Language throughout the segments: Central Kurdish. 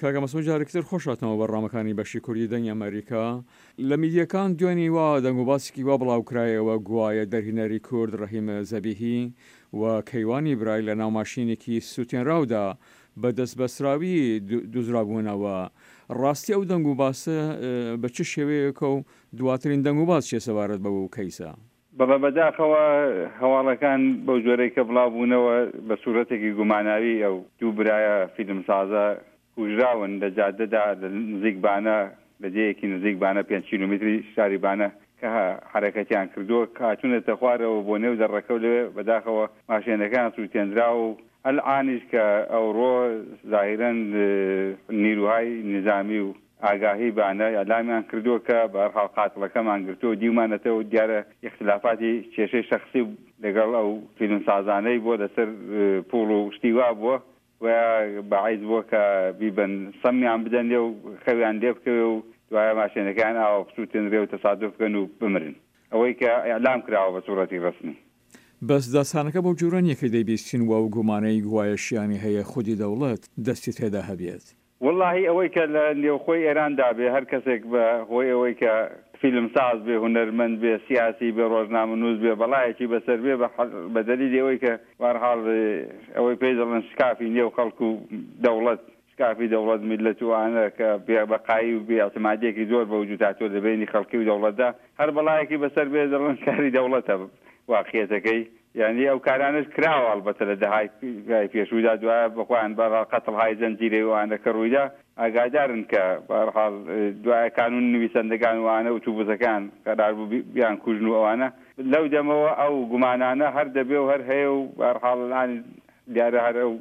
کاکە مەسعود جارێکی تر خۆش هاتنەوە بەرنامەکانی بەشی کوردی دەنگی ئەمەریکا. لە میدیاکان دوێنی وا دەنگوباسێکی وا بڵاوکرایەوە گوایە دەرهینەری کورد ڕەحیم زەبیهی و کەیوانی برای لە ناو ماشینێکی سوتێنراودا بە دەستبەستراوی دوزرابوونەوە. ڕاستی ئەو دەنگوباسە بە چ شێوەیەکە و دواترین دەنگوباس چیە سەبارەت بەو کەیسە؟ بەڵێ بەداخەوە هەواڵەکان بەو جۆرەی کە بڵاو بوونەوە بە سوورەتێکی گوماناوی ئەو دوو برایە فیلمسازە کوژراون لە جادەدا لە نزیک بانە لە دێیەکی نزیک بانە پێنج کیلۆمیتری شاری بانە کە حەرەکەتیان کردووە هاتوونەتە خوارەوە بۆ نێو دەڕەکە و لەوێ بەداخەوە ماشێنەکەیان سووتێندراوە و ئەلعانیش کە ئەوڕۆ زاهیرەن نیروهای نیزامی و ئاگاهی بانە ئیعلامیان کردووە کە بە هەر حاڵ قاتڵەکەمان گرتووە و دیومانەتەوە و دیارە ئیختلافاتی کێشەی شەخسی لەگەڵ ئەو فیلمسازانەی بووە لەسەر پووڵ و شتی وا بووە و باعیس بووە کە بیبەن سەمیان بدەنێ و خەویان لێ بکەوێ و دوایە ماشێنەکەیان ئاوا بسووتێنرێ و تەسادوف بکەن و بمرن. ئەوەی کە ئیعلام کراوە بە سووڕەتی ڕەسمی. بەس داستانەکە بەو جۆرە نیە کە دەیبیستین و ئەو گومانەی گوایە شیانی هەیە خودی دەوڵەت دەستی تێدا هەبێت. وەڵاهی ئەوەی کە لە نێوخۆی ئێران دا بێ هەر کەسێک بە هۆی ئەوەی کە فیلم ساز بێ، هونەرمەند بێ، سیاسی بێ، ڕۆژنامەنووس بێ، بەڵایەکی بەسەر بێ بە بە دەلیلی ئەوەی کە بەهەرحاڵ ئەوەی پێی دەڵێن شکافی نێو خەڵک و دەوڵەت، شکافی دەوڵەت میللەت و ئانە کە بێ بەقایی و بێ ئیعتمادیەکی زۆر بە وجوود هاتووە لە بەینی خەڵکی و دەوڵەتدا، هەر بەڵایەکی بەسەر بێ دەڵێن کاری دەوڵەتە واقیەتەکەی. یانی ئەو کارانەش کراوە ئەڵبەتە لە دەهای پێشوودا دوایە بە خۆیان بەهەرحاڵ قەتڵهای زەنجیرەی و ئەوانە کە ڕوویدا ئاگادارن کە بەهەرحاڵ دوایە کانوون نویسەندەگان و ئەوانە ئوتوبوسەکان قەرار بوو بیان کوژن و ئەوانە لەو دەمەوە ئەو گومانانە هەر دەبێ و هەر هەیە و بەهەرحاڵ الان دیارە هەر ئەو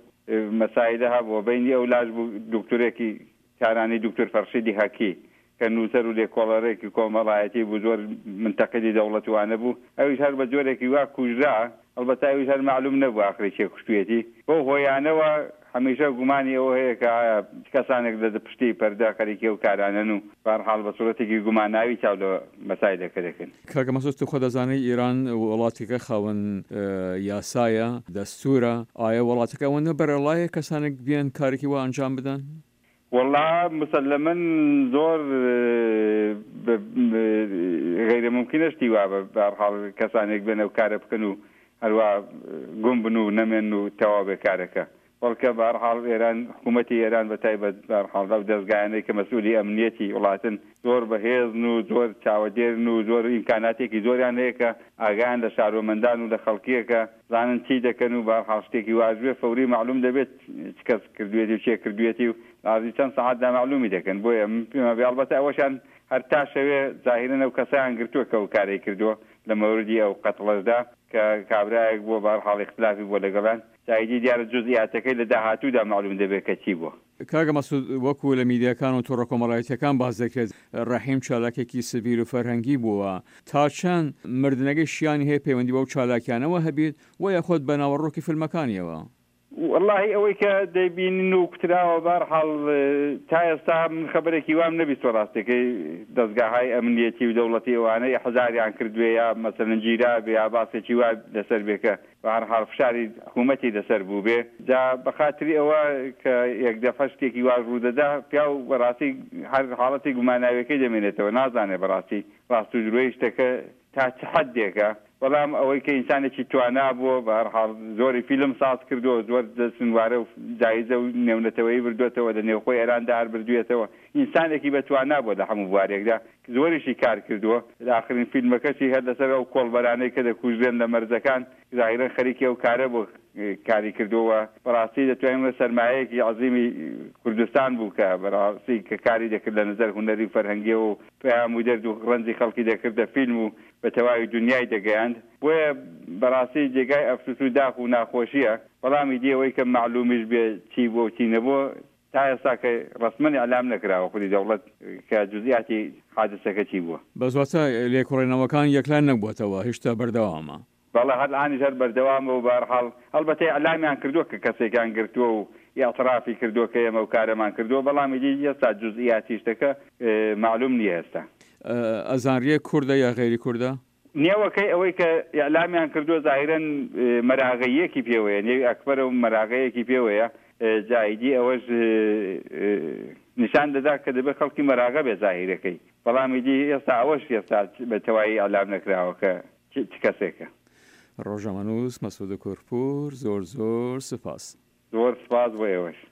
مەسایلە هەبووە بەینی ئەو لاش بوو دوکتورێکی تارانی دوکتور فەرشیدی هەکی کە نووسەر و لێکۆڵەرێکی کۆمەڵایەتی بوو زۆر منتەقیدی دەوڵەت و وانە بوو ئەویش هەر بە جۆرێکی وا کوژرا ئەڵبەتە ئەویش هەر مەعلووم نەبوو ئاخری کێ کوشتوویەتی بەو هۆیانەوە هەمیشە گومانی ئەوە هەیە کە ئایا چ کەسانێک لە پشتی پەردە خەریکی ئەو کارانەن و بەهەرحاڵ بە سوورەتێکی گوماناوی چاو لە مەسایلەکە دەکەن. کاکە مەسعود تۆ خۆت دەزانی ئیران وڵاتێکە خاوەن یاسایە، دەستوورە، ئایا وڵاتەکە ئەوەندە بەرەڵایە کەسانێک بێن کارێکی وا ئەنجام بدەن؟ وەڵا مسەلەمەن زۆر غەیرە مومکینە شتی وا بە هەرحاڵ کەسانێک بێن ئەو کارە بکەن و هەروا گوم بن و نەمێن و تەواو بێ کارەکە بەڵکە بە هەرحاڵ ئێران حکوومەتی ئێران بە تایبەت بە هەرحاڵ ئەو دەزگایانەی کە مەسئولی ئەمنیەتی وڵاتن زۆر بەهێزن و زۆر چاوەدێرن و زۆر ئیمکاناتێکی زۆریان هەیە کە ئاگایان لە شارۆمەندان و لە خەڵکیە کە زانن چی دەکەن و بەهەرحاڵ شتێکی واش بێ فەوری مەعلوم دەبێت چ کەس کردوێتی و کێ کردوێتی و لە عەرزی چەند سەعاتدا مەعلومی دەکەن بۆیە من پێم وابێ ئەڵبەتە ئەوەشیان هەر تا شەوێ زاهیرەن ئەو کەسەیان گرتووە کە ئەو کارەی کردووە لە مەوردی ئەو قەتڵەشدا کە کابرایەک بووە بەهەرحاڵ ئیختلافی بووە لەگەڵیان جا ئیدی دیارە جوزئیاتەکەی لە داهاتوودا مەعلوم دەبێت کە چی بووە. کاکە مەسعود وەکو لە میدیاکان و تۆڕە کۆمەڵایەتیەکان باس دەکرێت ڕەحیم چالاکێکی سڤیل و فەرهەنگی بووە تا چەند مردنەکەی شیانی هەیە پەیوەندی بەو چالاکیانەوە هەبیت وە یاخود بە ناوەڕۆکی فیلمەکانیەوە؟ وەڵاهی ئەوەی کە دەیبینین و کوتراوە بەهەرحاڵ تا ئێستا من خەبەرێکی وام نەبیستوە ڕاستەکەی دەزگاهای ئەمنیەتی و دەوڵەتی ئەوانە ئیحزاریان کردبێ یا مەسەلەن گیرابێ یا باسێکی وا لەسەر بێ کە بە هەر حاڵ فشاری حکوومەتی لەسەر بووبێ، جا بە خاتری ئەوە کە یەک دەفە شتێکی واش ڕوو دەدا، پیاو بە ڕاستی هەر حاڵەتی گوماناویەکەی دەمێنێتەوە، نازانێ بە ڕاستی ڕاست و درۆی شتەکە تا چ حەدێکە، بەڵام ئەوەی کە ئینسانێکی توانا بووە، بە هەر حاڵ زۆری فیلم ساز کردووە، زۆر جەشنوارە و جایزە و نێونەتەوەیی بردووەتەوە، لە نێوخۆی ئێراندا هەر بردوویەتەوە، ئینسانێکی بە توانا بووە لە هەموو بوارێکدا، زۆریشی کار کردووە، لە ئاخرین فیلمەکەشی هەر لەسەر ئەو کۆڵبەرانەی کە دەکوژرێن لە مەرزەکان، زاهیرەن خەریکی ئەو کارە بووە کاری کردووە و بەڕاستی دەتوانین بڵێین سەرمایەیەکی عەزیمی کوردستان بوو کە بەڕاستی کە کاری دەکرد لە نەزەر هونەری و فەرهەنگیەوە و پەیام و دەرد و ڕەنجی خەڵکی دەکردە فیلم و بە تەواوی دونیای دەگەیاند بۆیە بەڕاستی جێگای ئەفسوس و داخ و ناخۆشیە بەڵام ئیدی ئەوەی کە مەعلومیش بێ چی بووە و چی نەبووە تا ئێستا کە ڕەسمەن ئیعلام نەکراوە خودی دەوڵەت کە جوزئیاتی حادسەکە چی بووە. بەس واتە لێکۆڵینەوەکان یەکلا نەبووەتەوە هیشتا بەردەوامە. بەڵێ هەر ئانیش هەر بەردەوامە و بەهەرحاڵ هەڵبەتە ئیعلامیان کردووە کە کەسێکیان گرتووە و ئیعترافی کردووە کە ئێمە ئەو کارەمان کردووە بەڵام ئیدی ئێستا جوزئیاتی شتەکە مەعلوم نییە ئێستا. ئەزانریە کوردە یا غەیری کوردە؟ نێوەکەی ئەوەی کە ئیعلامیان کردووە زاهیرەن مەراغەییەکی پێوەیە، نێوی ئەکبەرە و مەراغەیەکی پێوەیە. جا ئیدی ئەوەش نیشان دەدا کە دەبێ خەڵکی مەراغە بێ زاهیرەکەی بەڵام ئیدی ئێستا ئەوەش ئێستا بە تەوایی ئیعلام نەکراوە کە چ کەسێکە. ڕۆژنامەنووس مەسعود کوردپوور زۆر زۆر سوپاس. زۆر سوپاس بۆ ئێوەش.